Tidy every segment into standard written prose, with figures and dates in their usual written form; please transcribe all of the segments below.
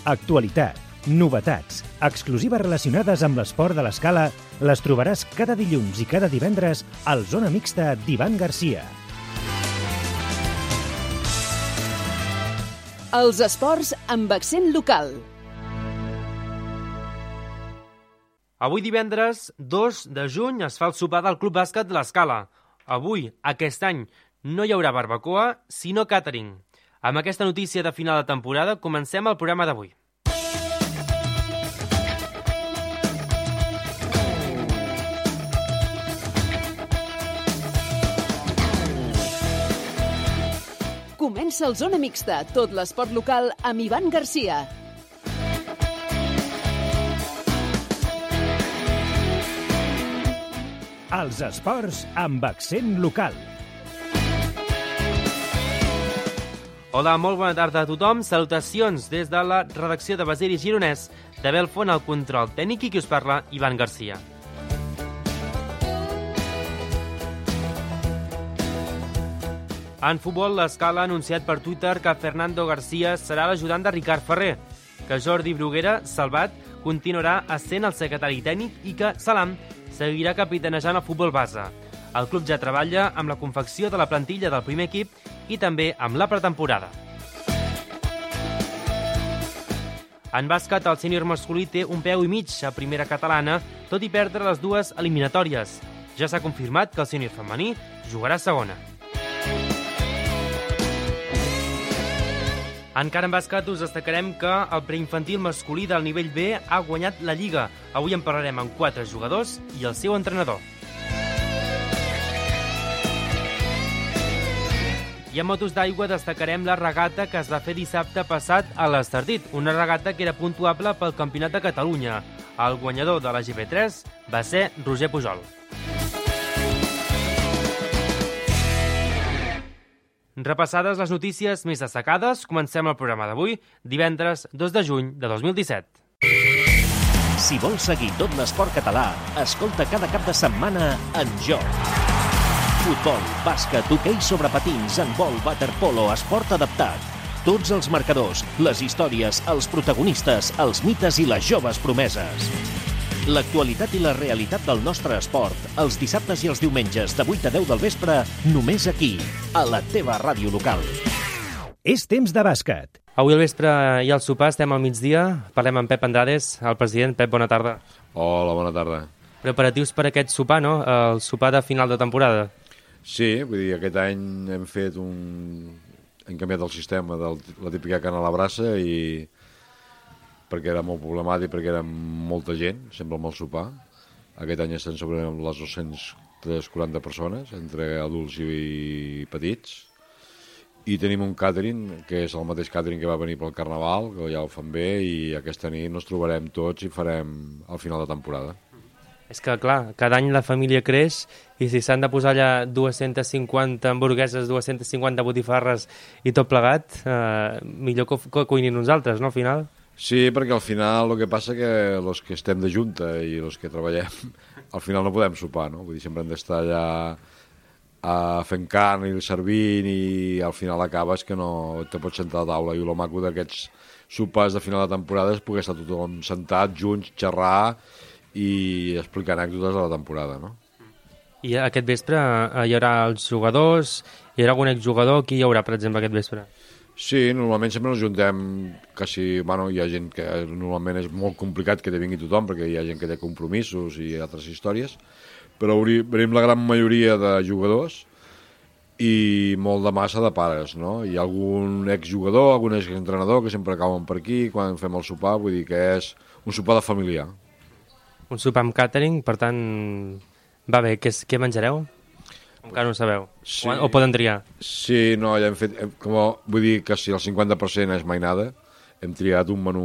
Actualitat, novetats, exclusives relacionades amb l'esport de l'escala les trobaràs cada dilluns i cada divendres al Zona Mixta d'Ivan Garcia. Els esports amb accent local. Avui divendres 2 de juny es fa el sopar del Club Bàsquet de l'Escala. Avui, aquest any, no hi haurà barbacoa, sinó càtering. Amb aquesta notícia de final de temporada comencem el programa d'avui. Comença el Zona Mixta, tot l'esport local amb Ivan Garcia. Els esports amb accent local. Hola, molt bona tarda a tothom. Salutacions des de la redacció de Basili Gironès, de Belfont al control tècnic i qui us parla, Ivan Garcia. En futbol, l'Escala ha anunciat per Twitter que Fernando García serà l'ajudant de Ricard Ferrer, que Jordi Bruguera, salvat, continuarà essent el secretari tècnic i que Salam seguirà capitanejant el futbol base. El club ja treballa amb la confecció de la plantilla del primer equip i també amb la pretemporada. En bàsquet, el sènior masculí té un peu i mig a primera catalana, tot i perdre les dues eliminatòries. Ja s'ha confirmat que el sènior femení jugarà a segona. Encara en bàsquet us destacarem que el preinfantil masculí del nivell B ha guanyat la Lliga. Avui en parlarem amb 4 jugadors i el seu entrenador. I en motos d'aigua destacarem la regata que es va fer dissabte passat a l'Estartit, una regata que era puntuable pel Campionat de Catalunya. El guanyador de la GP3 va ser Roger Pujol. Repassades les notícies més destacades, comencem el programa d'avui, divendres 2 de juny de 2017. Si vols seguir tot l'esport català, escolta cada cap de setmana En Joc. Futbol, bàsquet, hoquei sobre patins, handbol, waterpolo, esport adaptat. Tots els marcadors, les històries, els protagonistes, els mites i les joves promeses. L'actualitat i la realitat del nostre esport, els dissabtes i els diumenges de 8 a 10 del vespre, només aquí, a la teva ràdio local. És temps de bàsquet. Avui al vespre i al sopar estem al migdia, parlem amb Pep Andrades, el president. Pep, bona tarda. Hola, bona tarda. Preparatius per aquest sopar, no? El sopar de final de temporada. Sí, vull dir, aquest any hem canviat el sistema de la típica carn a la brasa i perquè era molt problemàtic, perquè era molta gent, sempre amb el sopar. Aquest any estan sobre les 240 persones, entre adults i petits. I tenim un càtering, que és el mateix càtering que va venir pel Carnaval, que ja ho fan bé, i aquesta nit ens trobarem tots i farem el final de temporada. És que, clar, cada any la família creix i si s'han de posar allà 250 hamburgueses, 250 botifarres i tot plegat, millor que cuinin nosaltres, no, al final? Sí, perquè al final el que passa que els que estem de junta i els que treballem, al final no podem sopar, no? Vull dir, sempre hem d'estar allà fent carn i servint i al final acabes que no te pots sentar a taula. I el maco d'aquests sopars de final de temporada és poder estar tothom sentat, junts, xerrar i explicar anècdotes de la temporada, no? I aquest vespre hi haurà els jugadors, hi haurà algun exjugador, qui hi haurà, per exemple, aquest vespre? Sí, normalment sempre ens juntem hi ha gent que normalment és molt complicat que vingui tothom perquè hi ha gent que té compromisos i altres històries, però venim la gran majoria de jugadors i molt de massa de pares, no? Hi ha algun exjugador, algun exentrenador que sempre cauen per aquí quan fem el sopar, vull dir que és un sopar de familiar. Un sopar amb càtering, per tant, va bé, què menjareu? Encara no ho sabeu. Sí. O poden triar? Sí, no, ja hem fet... vull dir que si el 50% és mainada, hem triat un menú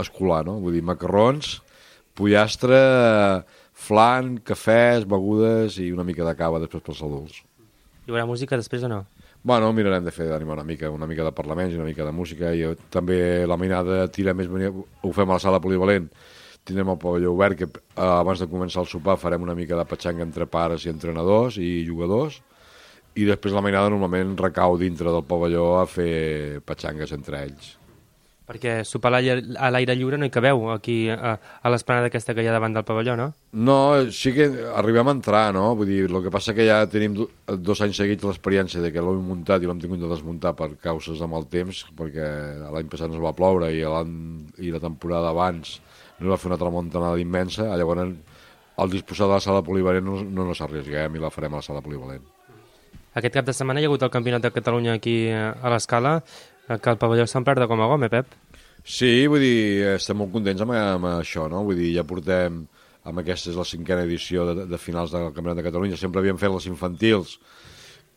escolar, no? Vull dir, macarrons, pollastre, flan, cafès, begudes i una mica de cava després pels adults. Hi haurà música després o no? Bueno, mirarem de fer d'animar una mica de parlaments i una mica de música. I també la mainada tira més... Ho fem a la sala polivalent. Tindrem el pavelló obert, que abans de començar el sopar farem una mica de petxanga entre pares i entrenadors i jugadors, i després la mainada normalment recau dintre del pavelló a fer petxangues entre ells. Perquè sopar a l'aire lliure no hi cabeu, aquí a l'esplanada aquesta que hi ha davant del pavelló, no? No, sí que arribem a entrar, no? Vull dir, el que passa que ja tenim 2 anys seguits l'experiència de que l'hem muntat i l'hem tingut de desmuntar per causes de mal temps, perquè l'any passat ens va ploure i la temporada abans no va fer una tramuntanada immensa, llavors al disposar de la sala polivalent no ens arriesguem i la farem a la sala polivalent. Aquest cap de setmana hi ha hagut el Campionat de Catalunya aquí a l'Escala, que el pavelló s'ha omplert de gom a gom, Pep? Sí, vull dir, estem molt contents amb això, no? Vull dir, ja portem, amb aquesta és la 5a edició de finals del Campionat de Catalunya, sempre havíem fet les infantils,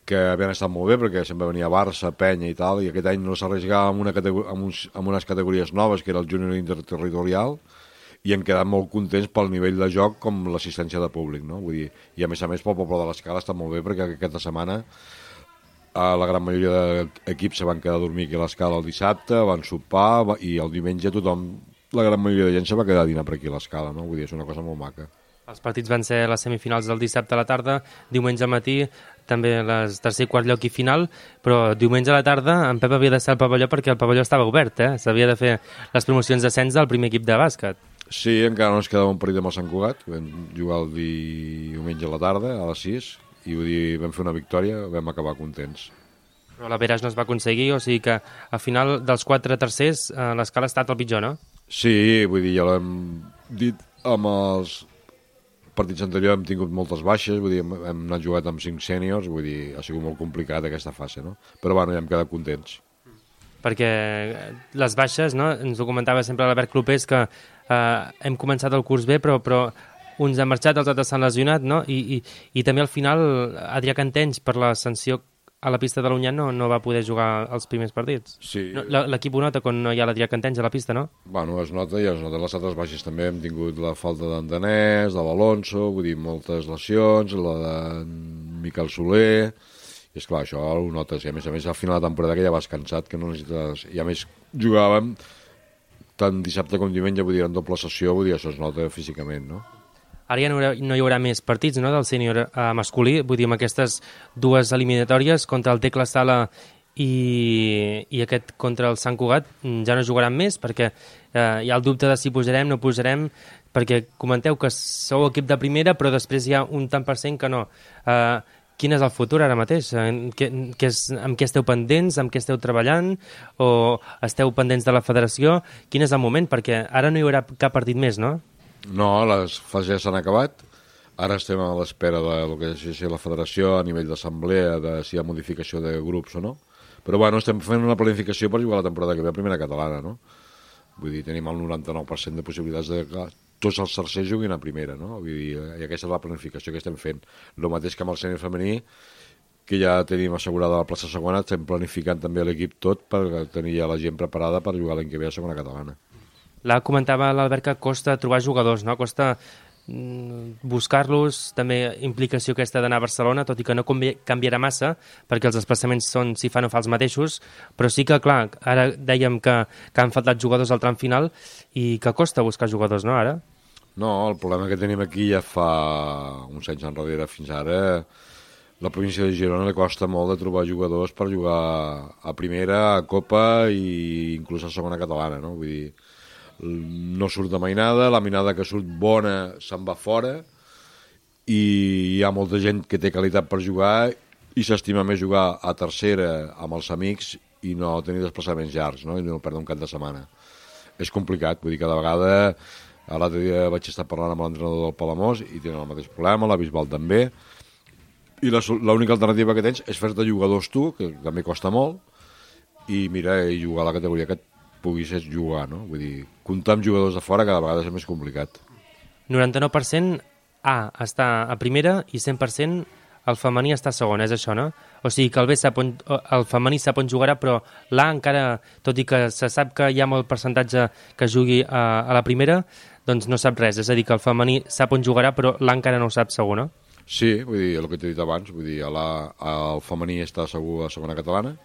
que havien estat molt bé, perquè sempre venia Barça, Penya i tal, i aquest any no s'arriscava amb unes categories noves, que era el júnior interterritorial, i hem quedat molt contents pel nivell de joc com l'assistència de públic, no? Vull dir, i a més pel poble de l'Escala està molt bé, perquè aquesta setmana la gran majoria d'equips se van quedar a dormir aquí a l'Escala el dissabte, van sopar i el diumenge la gran majoria de gent se va quedar a dinar per aquí a l'Escala, no? Vull dir, és una cosa molt maca. Els partits van ser les semifinals del dissabte a la tarda, diumenge al matí, també les tercer i quart lloc i final, però diumenge a la tarda en Pep havia de ser al pavelló perquè el pavelló estava obert, S'havia de fer les promocions d'ascens del primer equip de bàsquet. Sí, encara no ens quedava un partit amb el Sant Cugat, vam jugar el diumenge a la tarda, a les 6, i vull dir, vam fer una victòria, vam acabar contents. Però la Veras no es va aconseguir, o sigui que al final dels 4 tercers l'Escala ha estat el pitjor, no? Sí, vull dir, ja l'hem dit amb els partits anteriors, hem tingut moltes baixes, vull dir, hem anat jugat amb 5 sèniors, vull dir, ha sigut molt complicat aquesta fase, no? Però bueno, ja hem quedat contents. Perquè les baixes, no? Ens ho comentava sempre l'Albert Clopés, que hem començat el curs bé, però uns han marxat, els altres s'han lesionat, no? I també al final Adrià Cantenys, per la sanció a la pista de l'Unyà, no va poder jugar els primers partits. Sí. No, l'equip ho nota quan no hi ha l'Adrià Cantenys a la pista, no? Bueno, es nota i es nota les altres baixes també. Hem tingut la falta d'en Danès, de l'Alonso, vull dir, moltes lesions, la de Miquel Soler, i esclar, això ho notes. I a més, al final de la temporada que ja vas cansat, que no necessites... I a més, jugàvem tant dissabte com diumenge, vull dir, en doble sessió, vull dir, això es nota físicament, no? Ara ja no hi haurà més partits, no?, del sènior masculí, vull dir, amb aquestes 2 eliminatòries contra el Tecla Sala i aquest contra el Sant Cugat ja no jugaran més, perquè hi ha el dubte de si posarem, no posarem, perquè comenteu que sou equip de primera, però després hi ha un tant per cent que no. Quin és el futur ara mateix? Amb què esteu pendents? Amb què esteu treballant? O esteu pendents de la federació? Quin és el moment? Perquè ara no hi haurà cap partit més, no? No, les fases ja s'han acabat. Ara estem a l'espera del que és la federació a nivell d'assemblea, de si hi ha modificació de grups o no. Però bueno, estem fent una planificació per jugar la temporada que ve a primera catalana, no? Vull dir, tenim el 99% de possibilitats de que tots els tercers juguin a primera, no? Vull dir, i aquesta és la planificació que estem fent. El mateix que amb el sènior femení, que ja tenim assegurada la plaça segona, estem planificant també l'equip tot per tenir ja la gent preparada per jugar l'any que ve a segona catalana. Comentava l'Albert que costa trobar jugadors, no? Costa buscar-los, també implicació aquesta d'anar a Barcelona, tot i que no canviarà massa, perquè els desplaçaments són, si fa no fa, els mateixos, però sí que, clar, ara dèiem que han faltat jugadors al tram final i que costa buscar jugadors, no, ara? No, el problema que tenim aquí ja fa uns anys enrere fins ara, la província de Girona li costa molt de trobar jugadors per jugar a primera, a Copa i inclús a segona catalana, no? Vull dir, no surt de mainada, la mainada que surt bona se'n va fora i hi ha molta gent que té qualitat per jugar i s'estima més jugar a tercera amb els amics i no tenir desplaçaments llargs, no? I no perdre un cap de setmana. És complicat, vull dir, cada vegada l'altre dia vaig estar parlant amb l'entrenador del Palamós i tenen el mateix problema, la Bisbal també, i l'única alternativa que tens és fer-te jugadors tu, que també costa molt, i mira, i jugar a la categoria que puguis jugar, no? Vull dir, comptar amb jugadors de fora cada vegada és més complicat. 99% A està a primera i 100% el femení està a segona, és això, no? O sigui que el femení sap on jugarà, però l'A encara, tot i que se sap que hi ha molt percentatge que jugui a la primera, doncs no sap res. És a dir, que el femení sap on jugarà, però l'A encara no ho sap segur, no? Sí, vull dir, el que t'he dit abans, vull dir, el femení està segur a segona catalana,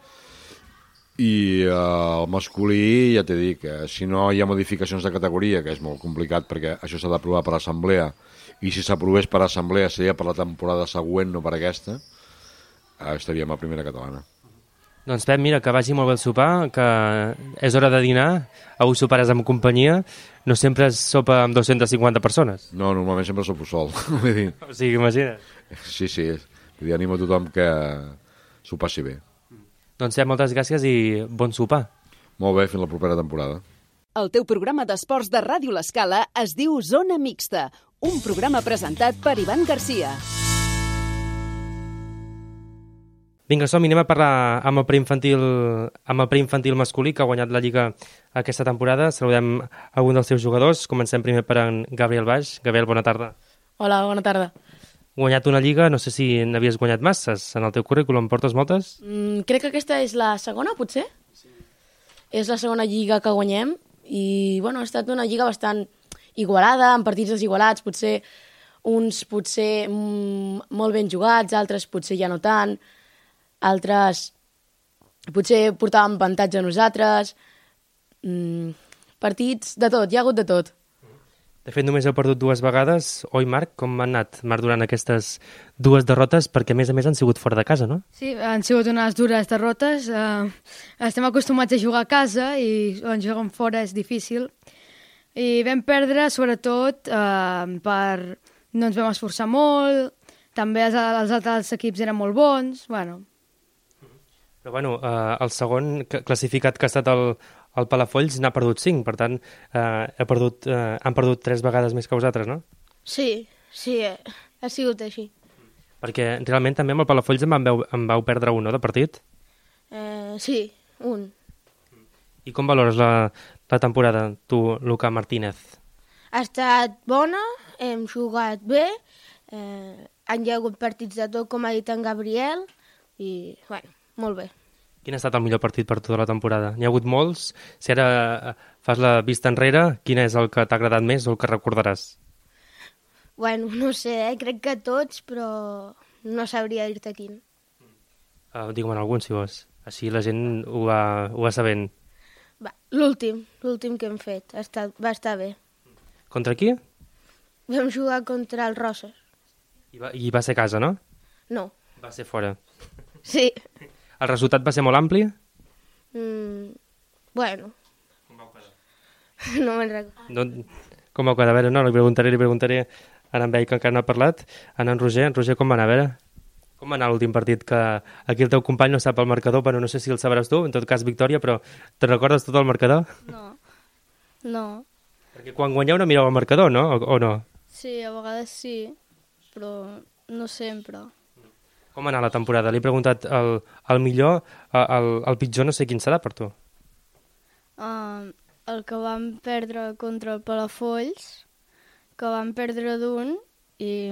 i el masculí, ja t'he dit, que si no hi ha modificacions de categoria, que és molt complicat perquè això s'ha d'aprovar per assemblea, i si s'aprovés per assemblea seria per la temporada següent, no per aquesta, estaríem a primera catalana. Doncs Pep, mira, que vagi molt bé el sopar, que és hora de dinar, avui soparàs amb companyia, no sempre es sopa amb 250 persones. No, normalment sempre sopo sol. Vull dir, O sigui, imagina't. sí. Vull dir, animo a tothom que s'ho passi bé. Doncs Pep, moltes gràcies i bon sopar. Molt bé, fins la propera temporada. El teu programa d'esports de Ràdio L'Escala es diu Zona Mixta, un programa presentat per Ivan Garcia. Vinga, som-hi, anem a parlar amb el preinfantil masculí que ha guanyat la Lliga aquesta temporada. Saludem algun dels seus jugadors. Comencem primer per en Gabriel Baix. Gabriel, bona tarda. Hola, bona tarda. Guanyat una Lliga, no sé si n'havies guanyat masses. En el teu currículum portes moltes? Crec que aquesta és la segona, potser? Sí. És la segona Lliga que guanyem i, bueno, ha estat una Lliga bastant igualada, amb partits desigualats, potser uns molt ben jugats, altres potser ja no tant, altres potser portàvem avantatge a nosaltres, partits de tot, hi ha hagut de tot. De fet, només heu perdut 2 vegades. Oi, Marc? Com han anat, Marc, durant aquestes 2 derrotes? Perquè, a més, han sigut fora de casa, no? Sí, han sigut unes dures derrotes. Estem acostumats a jugar a casa i quan juguem fora és difícil. I vam perdre, sobretot, no ens vam esforçar molt, també els altres equips eren molt bons, bueno. Però, bueno, el segon classificat que ha estat el Palafolls n'ha perdut 5, per tant, han perdut 3 vegades més que vosaltres, no? Sí, ha sigut així. Perquè realment també amb el Palafolls en vau perdre un, no, de partit? Sí, un. I com valores la temporada, tu, Luca Martínez? Ha estat bona, hem jugat bé, han hi ha hagut partits de tot, com ha dit en Gabriel, i, bueno, molt bé. Quin ha estat el millor partit per tota la temporada? N'hi ha hagut molts? Si ara fas la vista enrere, quin és el que t'ha agradat més o el que recordaràs? Bueno, no sé, crec que tots, però no sabria dir-te quin. Digue'm algun, si vols. Així la gent ho va sabent. L'últim que hem fet, va estar bé. Contra qui? Vam jugar contra el Roses. I va ser a casa, no? No. Va ser fora. Sí. El resultat va ser molt ampli? Bueno. Com vau quedar? No me'n recordo. Com vau quedar? A veure, no, li preguntaré a en Bell, que encara no ha parlat, a en Roger. En Roger, com va anar? A veure, com va anar l'últim partit? Que aquí el teu company no sap el marcador, però no sé si el sabràs tu, en tot cas victòria, però te'n recordes tot el marcador? No. Perquè quan guanyeu no mireu el marcador, no? O no? Sí, a vegades sí, però no sempre. Com va anar la temporada? Li he preguntat el millor, el pitjor no sé quin serà per tu. El que vam perdre contra el Palafolls, que vam perdre d'un i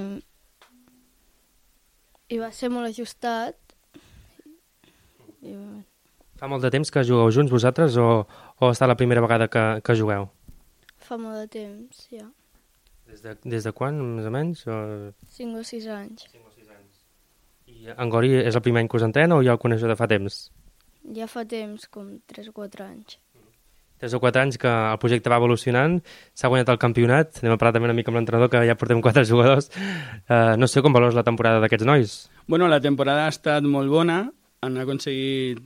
va ser molt ajustat. Fa molt de temps que jugueu junts vosaltres o està la primera vegada que jugueu? Fa molt de temps, ja. Des de quan, més o menys? 5 o 6 anys. I en Gori és el primer any que us entrena o ja el coneixeu de fa temps? Ja fa temps, com 3 o 4 anys. 3 o 4 anys que el projecte va evolucionant, s'ha guanyat el campionat, anem a parlar també una mica amb l'entrenador, que ja portem 4 jugadors. No sé com valores la temporada d'aquests nois. Bueno, la temporada ha estat molt bona, han aconseguit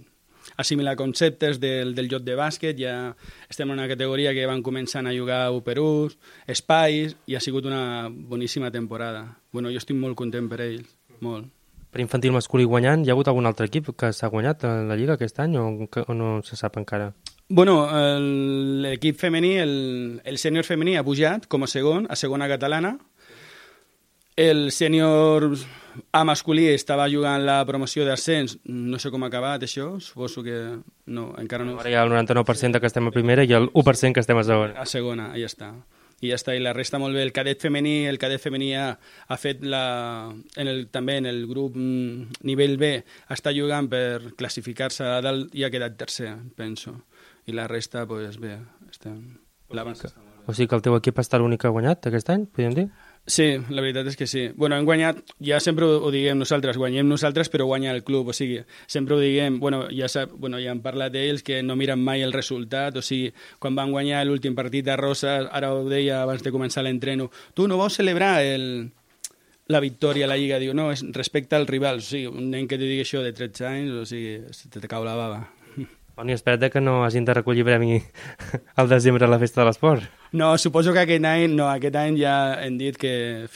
assimilar conceptes del joc de bàsquet, ja estem en una categoria que van començant a jugar U/1, espais, i ha sigut una boníssima temporada. Bueno, jo estic molt content per ells, molt. Per infantil masculí guanyant, hi ha hagut algun altre equip que s'ha guanyat a la Lliga aquest any o no se sap encara? Bueno, l'equip femení, el sènior femení ha pujat com a segon, a segona catalana. El sènior A masculí estava jugant la promoció d'ascens, no sé com ha acabat això, suposo que no, encara no. Ara hi ha el 99% que estem a primera i el 1% que estem a segona. A segona, ja està. I ja està, i la resta molt bé. El cadet femení ha fet també en el grup nivell B, està jugant per classificar-se a dalt i ha quedat tercer, penso. I la resta, doncs bé, estem... O sigui que el teu equip està l'únic que ha guanyat aquest any, podríem dir? Sí, la veritat és que sí. Bueno, hem guanyat, ja sempre ho diguem nosaltres, guanyem nosaltres però guanya el club, o sigui, sempre ho diguem, ja han parlat d'ells que no miren mai el resultat, o sigui, quan van guanyar l'últim partit a Roses, ara ho deia abans de començar l'entreno, tu no vols celebrar la victòria a la Lliga, diu, no, és respecte al rival. O sigui, un nen que te digui això de 13 anys, o sigui, te cau la bava. Bueno, i espera't que no hagin de recollir premi al desembre a la Festa de l'Esport. No, suposo que aquest any ja hem dit que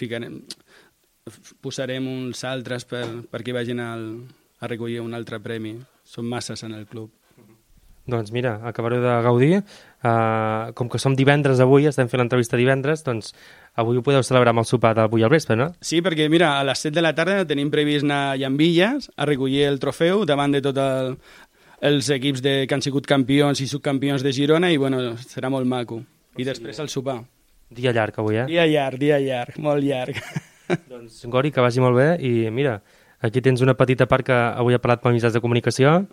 posarem uns altres perquè vagin a recollir un altre premi. Són masses en el club. Doncs mira, acabareu de gaudir. Com que som divendres avui, estem fent l'entrevista divendres, doncs avui ho podeu celebrar amb el sopar d'avui al vespre, no? Sí, perquè mira, a les 7 de la tarda tenim previst anar a Llambilles a recollir el trofeu davant de tots els equips que han sigut campions i subcampions de Girona i bueno, serà molt maco. I després el sopar. Dia llarg avui, eh? Dia llarg, molt llarg. Doncs Gori, que vagi molt bé i mira, aquí tens una petita part que avui ha parlat per mitjans de comunicació,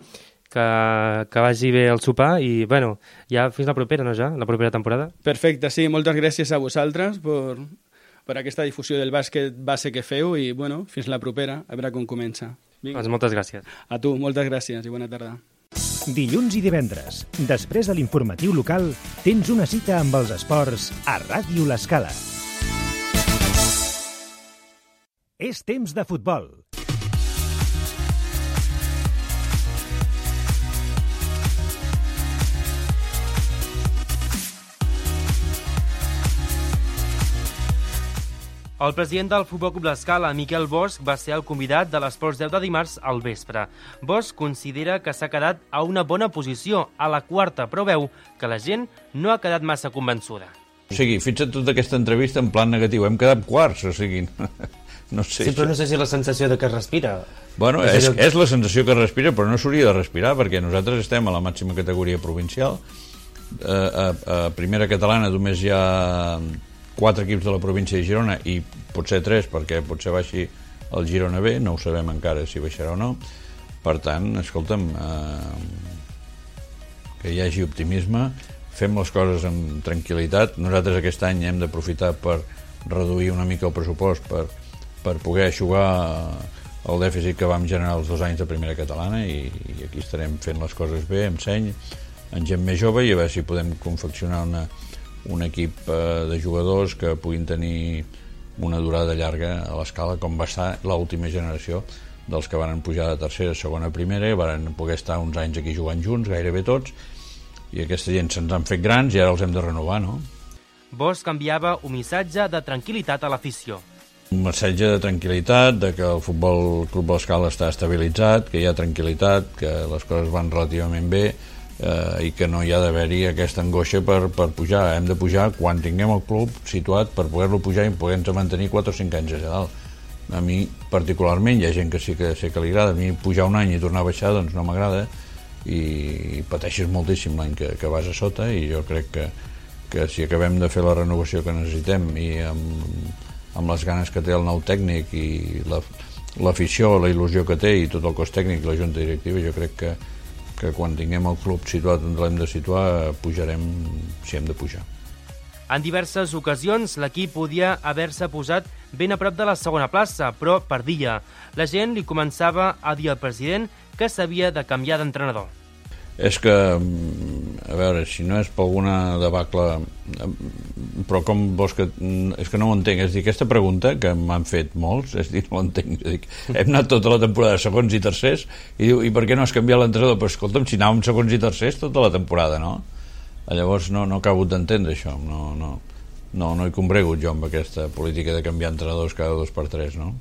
que vagi bé el sopar i bueno, ja fins la propera, no ja? La propera temporada. Perfecte, sí, moltes gràcies a vosaltres per aquesta difusió del bàsquet base que feu i bueno, fins la propera, a veure com comença. Vinga. Doncs moltes gràcies. A tu, moltes gràcies i bona tarda. Dilluns i divendres, després de l'informatiu local, tens una cita amb els esports a Ràdio L'Escala. És temps de futbol. El president del Futbol Club L'Escala, Miquel Bosch, va ser el convidat de l'Esports 10 de dimarts al vespre. Bosch considera que s'ha quedat a una bona posició, a la quarta, però veu que la gent no ha quedat massa convençuda. O sigui, fixa't tota aquesta entrevista en plan negatiu. Hem quedat quarts, o sigui... No sé, sí, però no sé si la sensació de que es respira. Bueno, és la sensació que es respira, però no s'hauria de respirar, perquè nosaltres estem a la màxima categoria provincial. A primera catalana només hi ha 4 equips de la província de Girona i potser 3 perquè potser baixi el Girona B, no ho sabem encara si baixarà o no. Per tant, escolta'm, que hi hagi optimisme, fem les coses amb tranquil·litat. Nosaltres aquest any hem d'aprofitar per reduir una mica el pressupost per poder eixugar el dèficit que vam generar els 2 anys de primera catalana i aquí estarem fent les coses bé, amb seny, amb gent més jove i a veure si podem confeccionar un equip de jugadors que puguin tenir una durada llarga a l'Escala, com va estar l'última generació dels que van pujar de tercera, segona, primera, i van poder estar uns anys aquí jugant junts, gairebé tots, i aquesta gent se'ns han fet grans i ara els hem de renovar, no? Bosch canviava un missatge de tranquil·litat a l'afició. Un missatge de tranquil·litat, de que el Futbol Club L'Escala està estabilitzat, que hi ha tranquil·litat, que les coses van relativament bé, i que no hi ha d'haver-hi aquesta angoixa per pujar. Hem de pujar quan tinguem el club situat per poder-lo pujar i poder-nos mantenir 4 o 5 anys allà dalt. A mi particularment, hi ha gent que sí que sé que li agrada, a mi pujar un any i tornar a baixar doncs no m'agrada i pateixes moltíssim l'any que vas a sota i jo crec que si acabem de fer la renovació que necessitem i amb les ganes que té el nou tècnic i l'afició, la il·lusió que té i tot el cos tècnic i la junta directiva, jo crec que quan tinguem el club situat on l'hem de situar, pujarem si hem de pujar. En diverses ocasions, l'equip podia haver-se posat ben a prop de la segona plaça, però perdia. La gent li començava a dir al president que s'havia de canviar d'entrenador. És que, a veure, si no és per alguna debacle, però com vols que... És que no ho entenc, és dir, aquesta pregunta que m'han fet molts, és dir, no ho entenc, és dir, hem anat tota la temporada segons i tercers, i diu, i per què no has canviat l'entrenador? Però escolta'm, si anàvem segons i tercers tota la temporada, no? Llavors no acabo d'entendre això, no hi combregut jo amb aquesta política de canviar entrenadors cada 2 per 3, no?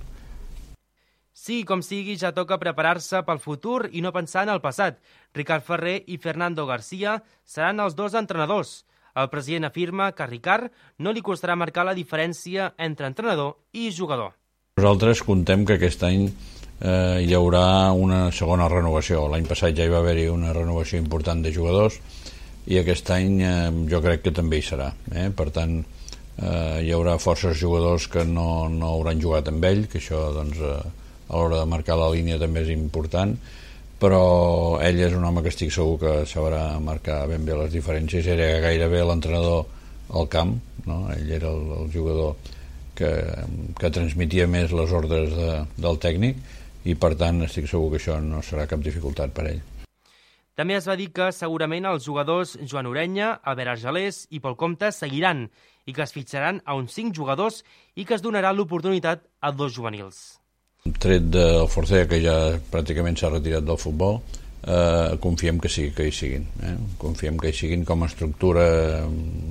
Sí, com sigui, ja toca preparar-se pel futur i no pensar en el passat. Ricard Ferrer i Fernando García seran els 2 entrenadors. El president afirma que a Ricard no li costarà marcar la diferència entre entrenador i jugador. Nosaltres contem que aquest any hi haurà una segona renovació. L'any passat ja hi va haver-hi una renovació important de jugadors i aquest any jo crec que també hi serà. Per tant, hi haurà forces jugadors que no hauran jugat amb ell, que això doncs, a l'hora de marcar la línia també és important, però ell és un home que estic segur que sabrà marcar ben bé les diferències. Era gairebé l'entrenador al camp, no? Ell era el jugador que transmetia més les ordres del tècnic i per tant estic segur que això no serà cap dificultat per ell. També es va dir que segurament els jugadors Joan Orenya, Albert Argelers i Pol Comte seguiran i que es fitxaran a uns 5 jugadors i que es donarà l'oportunitat a 2 juvenils. Tret del Forcea, que ja pràcticament s'ha retirat del futbol, confiem que sí, que hi siguin. Confiem que hi siguin com a estructura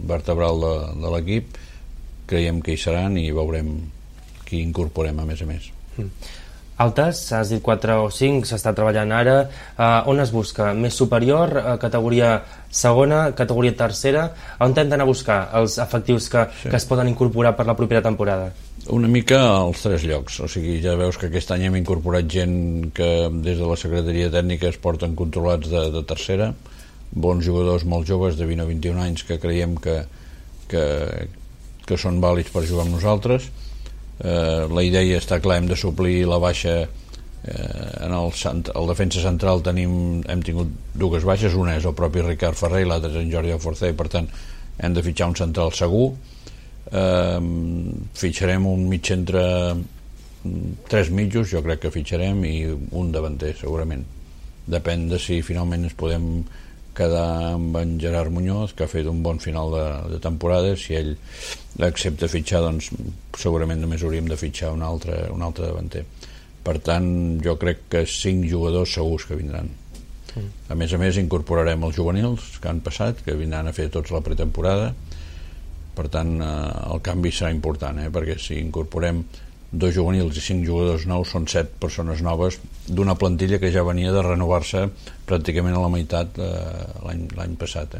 vertebral de l'equip. Creiem que hi seran i veurem qui incorporem a més. Altes, has dit 4 o 5, s'està treballant ara. On es busca? Més superior, categoria segona, categoria tercera? On hem d'anar a buscar els efectius que es poden incorporar per la propera temporada? Una mica als 3 llocs. O sigui, ja veus que aquest any hem incorporat gent que des de la Secretaria Tècnica es porten controlats de tercera, bons jugadors molt joves de 20 o 21 anys que creiem que són vàlids per jugar amb nosaltres. La idea està clar, hem de suplir la baixa en el defensa central. Hem tingut 2 baixes, una és el propi Ricard Ferrer i l'altra és en Jordi Forcea, i per tant hem de fitxar un central segur. Fitxarem un mig centre, 3 mitjos jo crec que fitxarem, i un davanter segurament. Depèn de si finalment ens podem quedar amb en Gerard Muñoz, que ha fet un bon final de temporada. Si ell accepta fitxar, doncs segurament només hauríem de fitxar un altre davanter. Per tant, jo crec que 5 jugadors segurs que vindran. A més, incorporarem els juvenils que han passat, que vindran a fer tots la pretemporada. Per tant, el canvi serà important, perquè si incorporem 2 juvenils i 5 jugadors nous, són 7 persones noves d'una plantilla que ja venia de renovar-se pràcticament a la meitat l'any passat.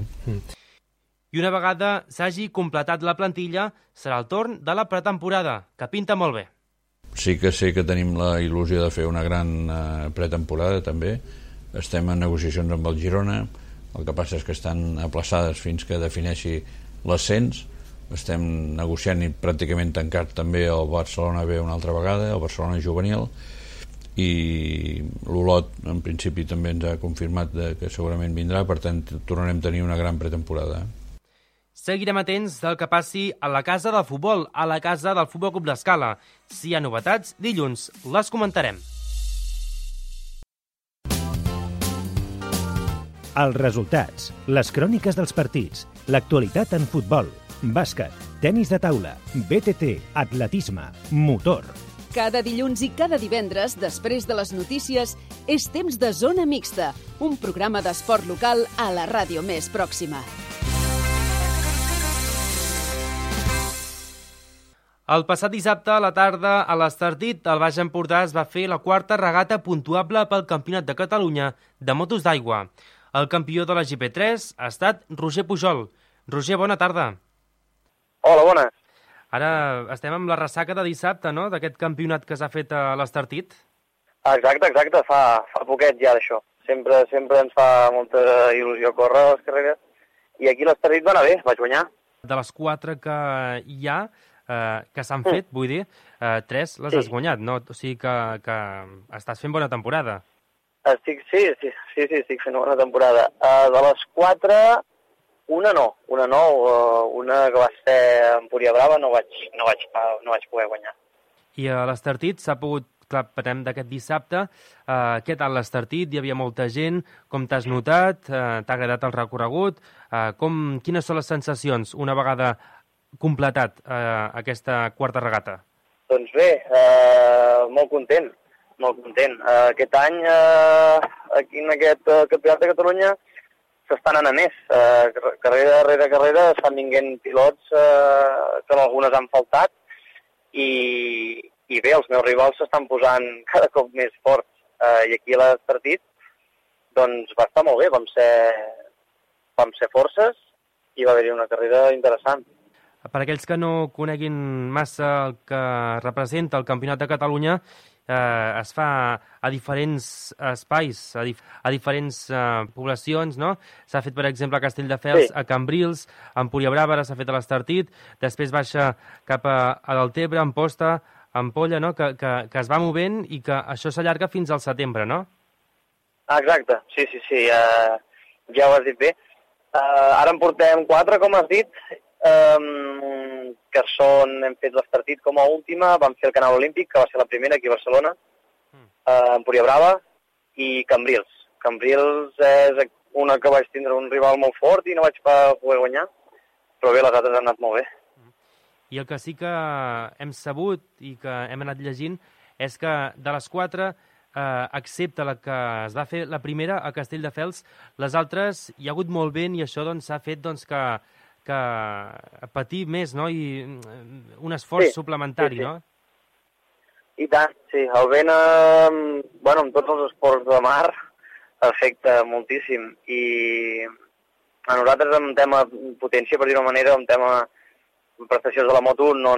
I una vegada s'hagi completat la plantilla, serà el torn de la pretemporada, que pinta molt bé. Sí que sé que tenim la il·lusió de fer una gran pretemporada, també. Estem en negociacions amb el Girona, el que passa és que estan aplaçades fins que defineixi l'ascens. Estem negociant i pràcticament tancat també el Barcelona B una altra vegada, el Barcelona juvenil, i l'Olot en principi també ens ha confirmat que segurament vindrà. Per tant, tornarem a tenir una gran pretemporada. Seguirem atents del que passi a la casa del futbol, a la casa del Futbol Club d'Escala. Si hi ha novetats, dilluns les comentarem. Els resultats, les cròniques dels partits, l'actualitat en futbol, bàsquet, tenis de taula, BTT, atletisme, motor. Cada dilluns i cada divendres, després de les notícies, és temps de Zona Mixta, un programa d'esport local a la ràdio més pròxima. El passat dissabte a la tarda, a l'Estartit, al Baix Empordà es va fer la 4a regata puntuable pel Campionat de Catalunya de motos d'aigua. El campió de la GP3 ha estat Roger Pujol. Roger, bona tarda. Hola, bona. Ara estem amb la ressaca de dissabte, no?, d'aquest campionat que s'ha fet a l'Estartit. Exacte, fa poquet ja d'això. Sempre ens fa molta il·lusió córrer les carreres. I aquí l'Estartit va anar bé, vaig guanyar. De les 4 que hi ha, que s'han fet, vull dir, 3 les has guanyat, no? O sigui que estàs fent bona temporada. Sí, estic fent bona temporada. De les 4, una que va ser a Empúria Brava, no vaig poder guanyar. I a l'Estartit s'ha pogut, clar, parlem d'aquest dissabte, què tal l'Estartit? Hi havia molta gent, com t'has notat? T'ha agradat el recorregut? Quines són les sensacions una vegada completat aquesta 4a regata? Doncs bé, molt content. Aquest any, aquí en aquest Campionat de Catalunya, s'estan anant a més. Carrera darrere carrera estan vinguent pilots que algunes han faltat i bé, els meus rivals s'estan posant cada cop més forts. I aquí a l'Estartit doncs va estar molt bé, vam ser forces i va haver-hi una carrera interessant. Per aquells que no coneguin massa el que representa el Campionat de Catalunya, es fa a diferents espais, a diferents poblacions, no? S'ha fet, per exemple, a Castelldefels, a Cambrils, a Empúria Brava, ara s'ha fet a l'Estartit, després baixa cap a Deltebre, a Amposta, a Ampolla, no? Que es va movent i que això s'allarga fins al setembre, no? Exacte, sí, ja ho has dit bé. Ara en portem 4, com has dit, que hem fet l'Estartit com a última, vam fer el Canal Olímpic, que va ser la primera aquí a Barcelona, Empúria Brava, i Cambrils, Cambrils és una que vaig tindre un rival molt fort i no vaig poder guanyar, però bé, les altres han anat molt bé. I el que sí que hem sabut i que hem anat llegint és que de les 4, excepte la que es va fer la primera a Castelldefels, les altres hi ha hagut molt vent i això s'ha fet que patir més, no? I un esforç suplementari, no? I tant, sí. El vent, amb tots els esports de mar, afecta moltíssim. I a nosaltres, en tema potència, per dir-ho d'una manera, en tema prestacions de la moto, no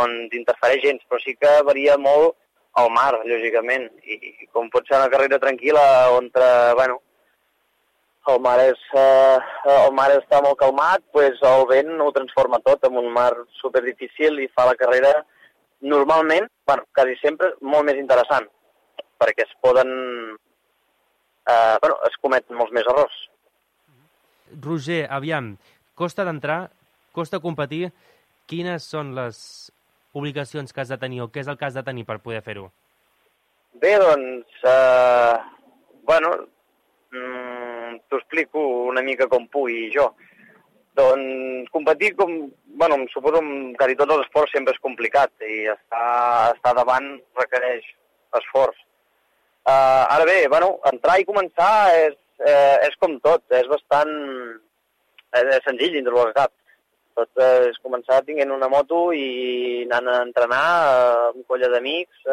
ens interfereix gens, però sí que varia molt el mar, lògicament. I com pot ser una carrera tranquil·la, on, el mar està molt calmat, doncs el vent ho transforma tot en un mar superdifícil i fa la carrera normalment, quasi sempre, molt més interessant, perquè es cometen molts més errors. Roger, aviam, costa d'entrar, costa competir, quines són les obligacions que has de tenir o què és el que has de tenir per poder fer-ho? Bé, doncs, t'ho explico una mica com pugui jo. Doncs competir, suposo que quasi tots els esports sempre és complicat i estar davant requereix esforç. Ara bé, entrar i començar és com tot, és bastant senzill dintre del cap. Tot és començar tinguent una moto i anant a entrenar amb colla d'amics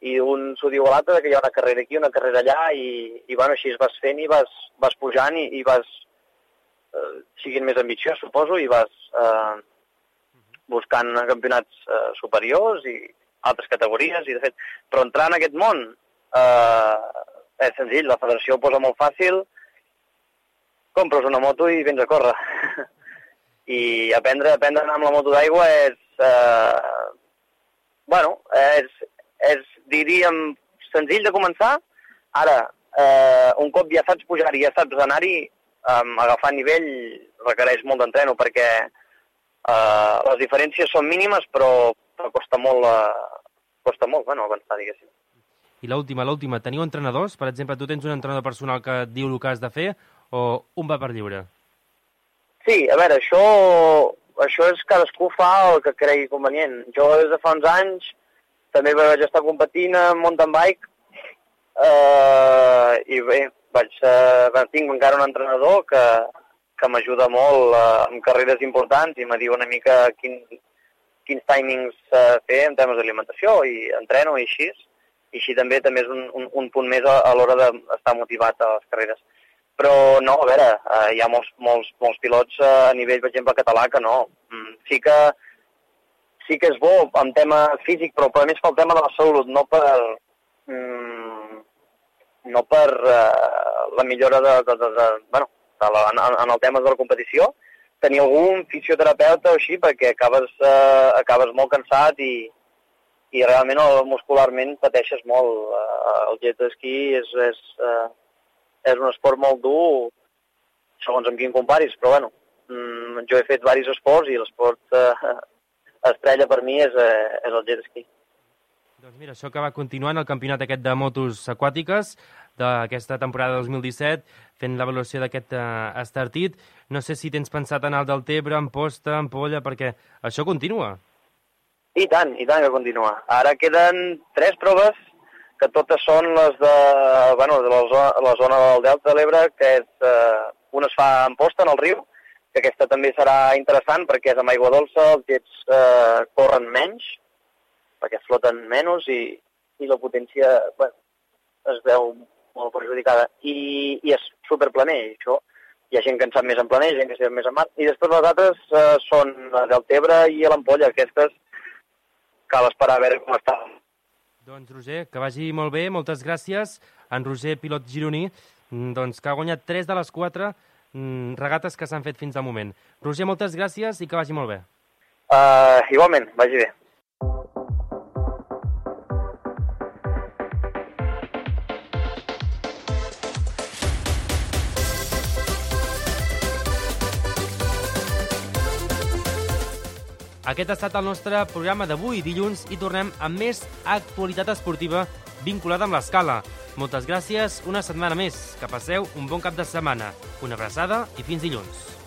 i un s'ho diu a l'altre que hi ha una carrera aquí, una carrera allà i així es vas fent i vas pujant i vas siguin més ambiciós, suposo, i vas buscant campionats superiors i altres categories, i de fet, però entrar en aquest món és senzill, la federació ho posa molt fàcil, compres una moto i vens a córrer. I aprendre a anar amb la moto d'aigua és, diríem, senzill de començar. Ara, un cop ja saps pujar i ja saps anar-hi, agafar nivell requereix molt d'entreno perquè les diferències són mínimes però costa molt avançar, diguéssim. I l'última, teniu entrenadors? Per exemple, tu tens un entrenador personal que et diu el que has de fer o un va per lliure? Sí, a veure, això és cadascú fa el que cregui convenient. Jo des de fa uns anys també vaig estar competint en mountain bike i bé, tinc encara un entrenador que m'ajuda molt en carreres importants i me diu una mica quins timings fer en temes d'alimentació i entreno i així. I així també és un punt més a l'hora d'estar motivat a les carreres. Però no, a veure, hi ha molts pilots a nivell, per exemple, català que no. Sí que és bo en tema físic, però més pel tema de la salut, no per la millora en el tema de la competició. Tenir algun fisioterapeuta o així, perquè acabes molt cansat i realment muscularment pateixes molt. El jet ski és un esport molt dur, segons amb quin comparis, però jo he fet diversos esports i l'esport estrella per mi és el jet ski. Doncs mira, això que va continuant el campionat aquest de motos aquàtiques d'aquesta temporada 2017, fent l'avaluació d'aquest estartit. No sé si tens pensat anar al Deltebre, Amposta, Ampolla, perquè això continua. I tant que continua. Ara queden 3 proves, que totes són les de la zona del Delta de l'Ebre, que una es fa a Amposta, en el riu, que aquesta també serà interessant perquè és amb aigua dolça, els jets corren menys, perquè floten menys i la potència es veu molt perjudicada. I és superplaner, això. Hi ha gent que en sap més en planer, gent que sap més en mar. I després les altres són a Deltebre i a l'Ampolla. Aquestes cal esperar a veure com està. Doncs, Roger, que vagi molt bé, moltes gràcies. En Roger, pilot gironí, que ha guanyat 3 de les 4 regates que s'han fet fins al moment. Roger, moltes gràcies i que vagi molt bé. Igualment, vagi bé. Aquest ha estat el nostre programa d'avui, dilluns, i tornem amb més actualitat esportiva vinculada amb l'Escala. Moltes gràcies una setmana més. Que passeu un bon cap de setmana. Una abraçada i fins dilluns.